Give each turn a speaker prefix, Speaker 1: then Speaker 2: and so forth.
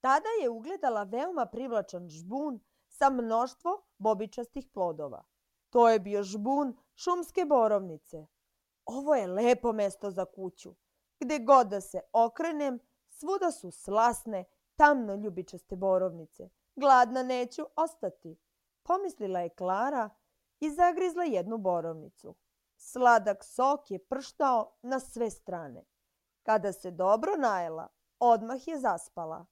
Speaker 1: Tada je ugledala veoma privlačan žbun sa mnoštvo bobičastih plodova. To je bio žbun šumske borovnice. Ovo je lepo mesto za kuću. Gde god da se okrenem, svuda su slasne, tamno ljubičaste borovnice. Gladna neću ostati, pomislila je Klara i zagrizla jednu borovnicu. Sladak sok je prštao na sve strane. Kada se dobro najela, odmah je zaspala.